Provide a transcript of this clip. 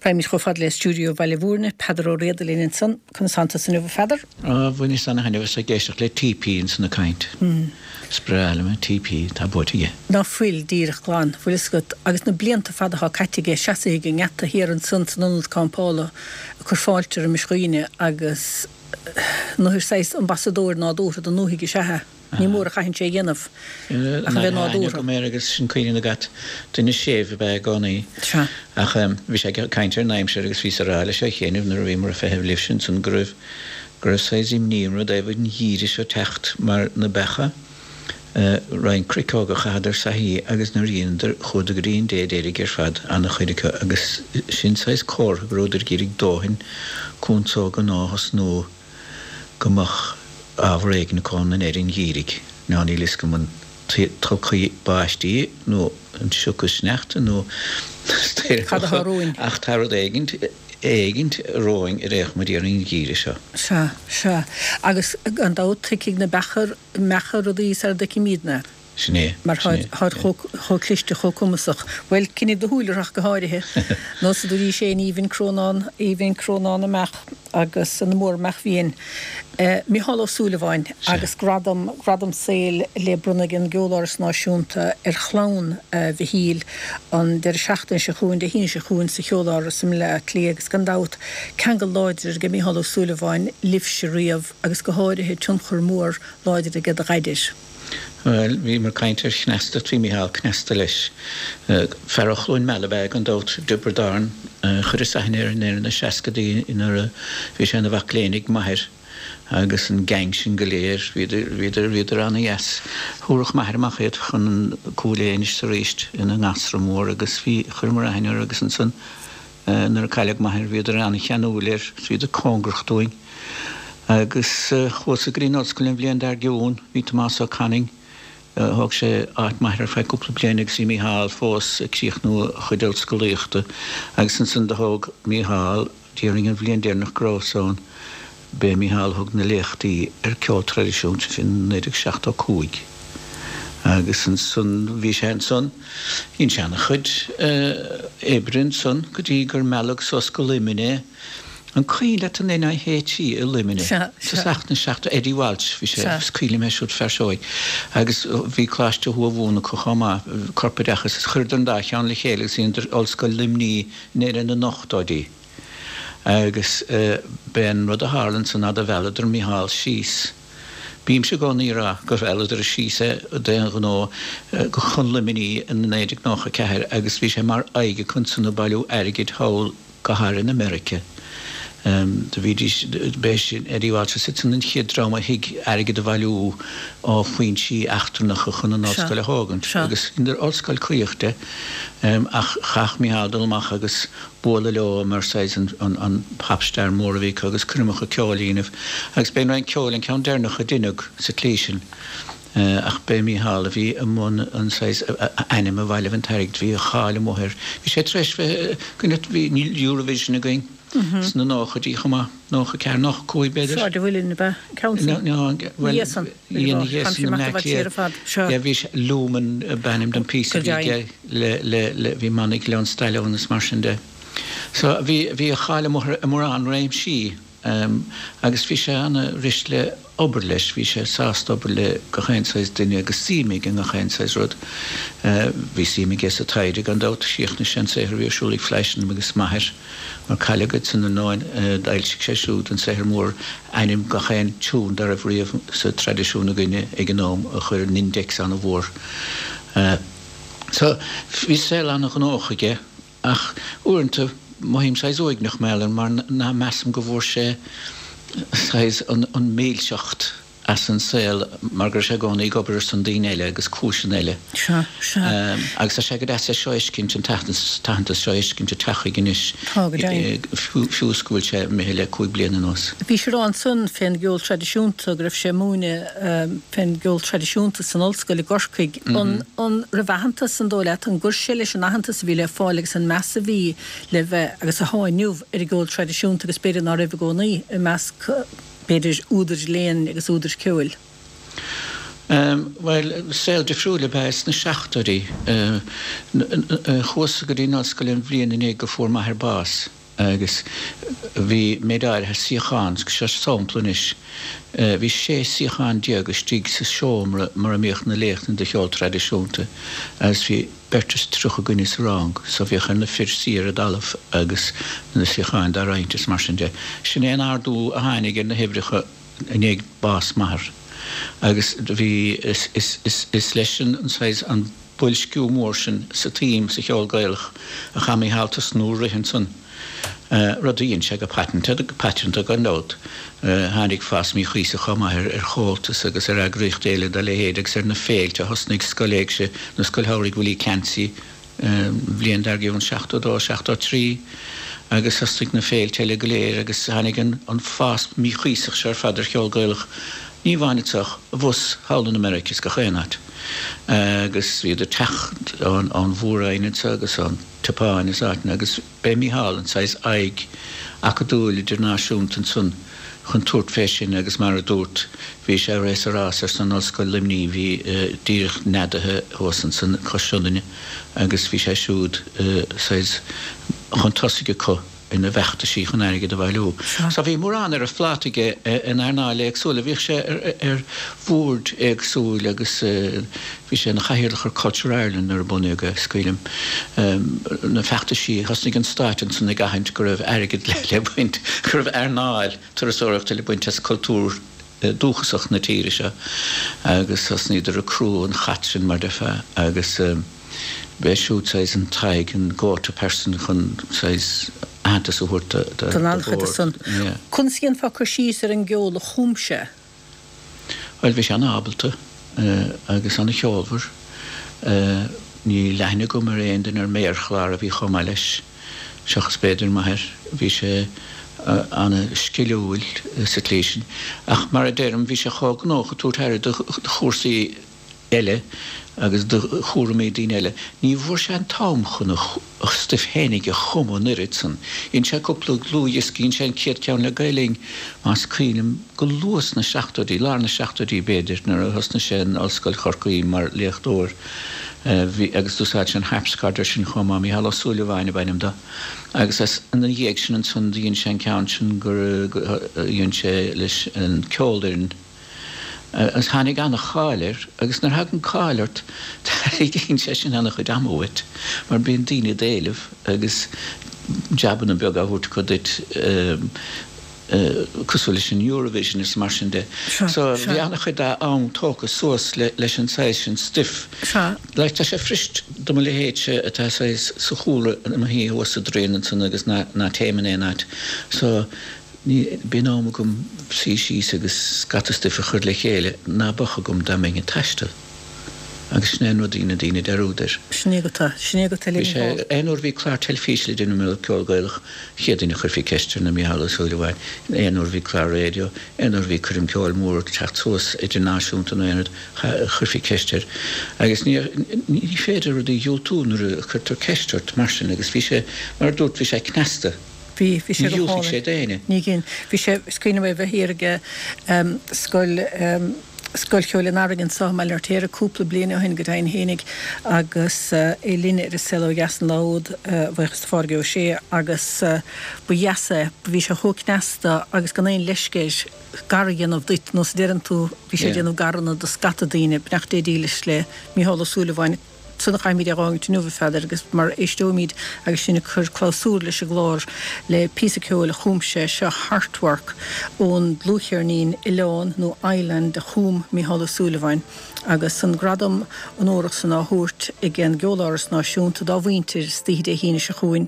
Raghaimid chomh fada le stiúideo Bhaile Mhúirne, Peadar Ó Riada linn ansan. Conas tánn tusa inniu, a Pheadair? Á, bhaineas ana-thaitneamh as ag éisteacht le TP ansan ag caint. Is breá liom é, TP, tá buaite aige. Ná fuil, díreach glan, bhfuil fhios agat, agus na blianta fada atá caite aige seasaithe ag an ngeata thiar ansan san ionad campála ag cur fáilte roimis dhaoine agus nuair saghas ambasadóir nádúrtha don ndúthaigh is ea é. Ní mór a chaitheann sé a dhéanamh ach a bheith nádúrtha. Go mér agus sin cuimhne agat, duine séimh ab ea i gcónaí. Sea. Ach bhí sé ag caint ar an aimsir agus bhíos ag rá leis ó chianaibh nuair a bhíomar ag feitheamh libhse ansan go raibh, go raibh saghas imní orm i dtaobh an gheimhridh seo teacht mar na beacha, roinnt cnoic óga chaitheadar saithí agus nuair a dheineadar chuadar go dtí an dé deiridh ar fad, an-chuid acu agus sin saghas comhartha go rabhadar ag iarraidh dóthain cúnsóga nua a thosnú. go mbeadh ábhar éigin acu ann i ndeireadh an gheimhridh. Now níl fhios agam an tulcaí báistí nó an siocadh sneachta nó Cad atá romhainn? ach tá rud éigint, éigint romhainn ar aon chuma déarfainn an geimhreadh seo. Sea, sea. Agus gan dabht tuigfidh na beacha, mbeacha rudaí sara dtuigfimídne. Sin é. Mar Sin é. táid chomh cliste, chomh cumasach. Bhuel, coinnigh do shúil orthu ach go háirithe. Nós a dúraís féin, aoibhinn crónán, aoibhinn crónán a mbeach agus na mór-mbeach bhfiáin. Mícheál Ó Súilleabháin agus gradam, gradam saoil le bronnadh ag an gCeoláras Náisiúnta ar chlann Mhichíl an deireadh seachtaine seo chugainn, Dé hAoine seo chugainn sa Cheoláras i mBleá Cliath agus gan dabht ceangal láidir ag Mícheál Ó Súilleabháin libhse riamh agus go háirithe tionchar mór láidir aige do Dhaidí. Bhuel, bhíomar ag caint ar chneastacht, bhí Mícheál cneasta leis. Fear ó Chluain Meala ab ea gan dabht, i dTiobraid Árann. Chuireas aithne air i ndeireadh na seascadaí nuair a bhí sé ina mhac léinn ag m'athair agus an gang sin go léir, bhíodar, bhíodar, bhíodar ana-dheas. Thabharfadh m'athair amach iad chun an Cúil Aodha anois is arís ina ngasra mór agus bhí, chuireamar aithne orthu agus ansan, Nuair a cailleadh m'athair bhíodar an-cheanúil air, bhíodar cóngarach dúinn. Agus chuas-sa go dtí an ollscoil an bhliain dár gcionn, bhí Tomás Ó Canainn, thóg sé áit m'athar ar feadh cúpla bliain agus bhí Mícheál fós ag críochnú a chuid ollscolaíochta. Agus ansan do thóg Mícheál, déarfainn an bhliain deireanach go rabhas ann, B'é Mícheál a thug na léachtaí ar ceol traidisiúnta sin 1975 agus ansan bhí sé ansan, dhein sé ana-chuid oibre ansan go dtí gur mealladh suas go Luimneach é. An cuimhin leat an NIHE i Luimneach? Tosach na seacht, Eddie Walsh, bhí sé, is cuimhin liom é siúd fear seoigh. Agus bhí Coláiste Thuamhumhan acu chomh maith, corpoideachas, is chuireadar an dá cheann le chéile agus dheineadar Ollscoil Luimnigh i ndeireadh na n-ochtóidí. Agus b'é an rud a tharla ansan ná do mhealladar Mícheál síos. Bímse i gcónaí ag rá gur mhealladar síos é d'aon ghnó chun Luimnigh in 1994 agus bhí sé mar aghaidh acu ansan ag bailiú airgid thall go háirithe in America. Do bhídís, b'é sin Eddie Walsh is iad san an chéad dream a thuig airgead a bhailiú ó foinsí eachtrannacha chun an ollscoil a thógaint agus dheineadar ollscoil caoch de ach chaithfeadh Mícheál dul amach agus bualadh leo mar saghas an pop star mór a bhí acu agus coirmeacha ceoil a dhéanamh agus b'é an Roinn Ceoil an ceann deireanach a deineadh sa tslí sin ach b'é Mícheál a bhí i mbun an saghas ainm a bhailigh an t-airgead, bhí a cháil amuigh air. Bhí sé tar éis bheith, bhí Eurovision againn sna nóchaidí chomh maith, 94, 95 b'fhéidir. Sráid an Mhuilinn ab ea an ceann sin? Bhuel, ina dhiaidh san i mBleá Cliath, bhí sé, Lumen ab ainm don phíosa a bhí aige. le, le, le, bhí manaí Gleann Staileoin is mar sin de. So bhí, bhí a cháil amuigh i mórán réimsí agus bhí sé ana-rist le obair leis, bhí sé sásta obair le gach aon saghas duine agus suim aige i ngach aon saghas rud. Bhí suim aige sa taighde gan dabht, chríochnaigh sé an saothar a bhí ar siúl ag Fleischmann agus m'athair mar cailleadh iad san ar ndóigh, d'fhoilsigh sé siúd an saothar mór ainm gach aon tiún dá raibh riamh sa traidisiún againne ag an am a chuir an index ana-mhór. So, bhí saol an-ghnóthach aige ach uaireanta mothaím saghas uaigneach mar gheall air mar ná measaim go bhfuair sé saghas an mhilseacht as an saol mar go raibh sé i gcónaí ag obair ar son daoine eile agus cúiseanna eile. Sea, sea. Agus tá sé go deas é seo a fheiscint, an t-aitheantas seo a fheiscint ag teacht chuige anois, Tá, go deimhin. fiú is go bhfuil sé imithe le 5 bliana anuas. Bhí sé ag rá ansan fén gceol traidisiúnta go raibh sé ag múineadh fén gceol traidisiúnta san ollscoil i gCorcaigh. An An raibh aitheantas, an dóigh leat, an gcuir sé leis an aitheantas a bhí le fáil agus an meas a bhí le bheith agus atá inniu ar an gceol traidisiúnta agus b'fhéidir ná raibh i gcónaí i measc, b'fhéidir, údair léinn agus údair ceoil? Bhuel, saol difriúil ab ea é sna seachtóidí. Chuas-sa go dtí an ollscoil an bhliain i ndiaidh go fuair m'athair bás agus bhí méid áirithe suíochán, seo sampla anois, bhí 16 suíochán istigh sa seomra mar a mbíodh na léachtanna de cheol traidisiúnta agus bhí beirt is 30 duine sa rang so bhíodh ar na fir suí ar an dtalamh agus na suíocháin dá roinnt is mar sin de. Sin é an ardú a tháinig ar na huimhreacha. i ndiaidh bás m'athar agus do bhí, is, is, is, is leis an, an saghas, an boilsciú mór sin sa tsuim sa cheol Gaelach a chaith Mícheál tosnú ag rith ansan, rud a dhein sé go paiteanta, go paiteanta gan dabht. Tháinig fás míchuíosach chomh maith ar, ar Chomhaltas agus ar eagraíochtaí eile dá leithéid agus ar na féilte a thosnaigh Scoil Éigse nó Scoil Shamhraidh Willie Clancy, an bhliain dár gcionn, 72, 73, agus thosnaigh na féilte eile go léir agus tháinig an fás míchuíosach seo ar fad ar cheol Gaelach, ní amháin anseo ach abhus thall in America is gach aon áit. Agus bhíodar ag teacht ón Mhór-Roinn anseo agus ón tSeapáin is áiteanna agus B'é Mícheál an saghas aghaidh acadúil idirnáisiúnta ansan chun tabhairt fé sin agus mar a dúrt, bhí sé réidh sa rás ar son Ollscoil Luimnigh, bhí díreach neadaithe thuas ansan cois Sionainne agus bhí sé siúd saghas chun tosaigh acu ina bhfeachtaisí chun airgead a bhailiú. So bhí mórán ar a phláta aige in earnáil éagsúla. Bhíodh sé ar bhoird éagsúil agus bhí sé ina chathaoirleach ar Culture Ireland nuair a bunaíodh é, is cuimhin liom na feachtaisí, thosnaigh an Stát ansan ag aithint go raibh airgead le baint, go raibh earnáil turasóireachta le baint as cultúr dúchasach na tíre seo agus thosnaíodar ag crú an chait sin mar déarfá agus b'é siúd saghas an t-aghaidh, an go-to person chun saghas aitheantas a thabhairt do Don an-chuid san. Conas a dhéanfá cur síos ar an gceol a chum sé? Bhuel, bhí sé an-ábalta agus an-cheolmhar. Níl aithne agam ar aon duine ar méarchlár a bhí chomh maith leis, seachas b'fhéidir m'athair. Bhí sé an-sciliúil sa tslí sin. Ach mar a deirim, bhí sé chomh gnóthach ag tabhairt aire do chúrsaí eile agus do chúraimí daoine eile. Ní bhfuair sé an t-am chun a stuif fhéinig a chumadh an oiread san. Dhein sé cúpla dlúthdhiosca, dhein sé an chéad ceann le Gael Linn, más cuimhin liom, go luath sna seachtóidí, lár na seachtóidí b'fhéidir, nuair a thosnaigh sé in Ollscoil Chorcaí mar léachtóir. Bhí, agus d'úsáid sé an harpsichord air sin chomh maith, Mícheál Ó Súilleabháin ab ainm do. Agus as, ina dhiaidh sin ansan do dhein sé an ceann sin gur, dhein sé leis an ceolfhoireann, Agus tháinig an-cháil air, agus nuair a thagann cáil ort, tarraingíonn sé sin an-chuid ama uait, mar bíonn daoine ag éileamh agus jabanna beaga á thabhairt acu duit, cosúil leis an Eurovision is mar sin de. So bhí an-chuid dá am tógtha suas leis an saghas sin stuif. Like tá sé fuirist do mo leithéidse atá saghas sa chúlra i mo shuí thuas sa dtraen ansan agus ná téim in aon áit. So Ní bíonn am agam suí síos agus scata stuif a chur le chéile ná beadh agam dá mbeinn ag taisteal. Agus sin é an rud a dhéanann daoine dearúd air. Sin é agat é. Sin é agat é le Bhí sé, Mícheál. aon uair a bhí clár teilifíse le déanamh mar ceol Gaelach, an chéad duine a chuirfí ceist air ná Mícheál Ó Súilleabháin. Aon uair a bhí clár raidió, aon uair a bhí coirm ceoil mór ag teacht suas, idirnáisiúnta nó aon rud, chuirfí ceist air. Agus ní, ní féidir rudaí a dhiúltú nuair a chuirtear ceist ort mar sin agus bhí sé, mar a dúrt, bhí sé cneasta. Bhí, bhí sé Ní go dhiúltaigh hálainn. sé d'éinne. Ní dhein. Bhí sé, is cuimhin liom é bheith thiar ag Scoil, Scoil Cheoil an Earraigh anso i mBaile an Fheirtéaraigh cúpla bliain ó shin go deimhin fhéinig agus é linn ar An Saol Ó Dheas an lá úd, a bhuíochas do Phádraig Ó Sé, agus ba dheas é, bhí sé chomh cneasta agus gan aon leisce air gar a dhéanamh duit, nós a deireann tú, bhí sé ag déanamh garanna do scata daoine, beannacht Dé dílis le Mícheál Ó Súilleabháin. San a chaithfimid é dh'fhágaint inniu, a Pheadair, agus mar éisteoimid agus sinn ag cur clabhsúr leis an gclár le píosa ceoil a chum sé, seo Heartwork ón dlúthcheirnín Oileán nó Island a chum Mícheál Ó Súilleabháin agus an gradam onórach san á thabhairt ag an gCeoláras Náisiúnta dá mhuintir istoíche Dé hAoine seo chugainn.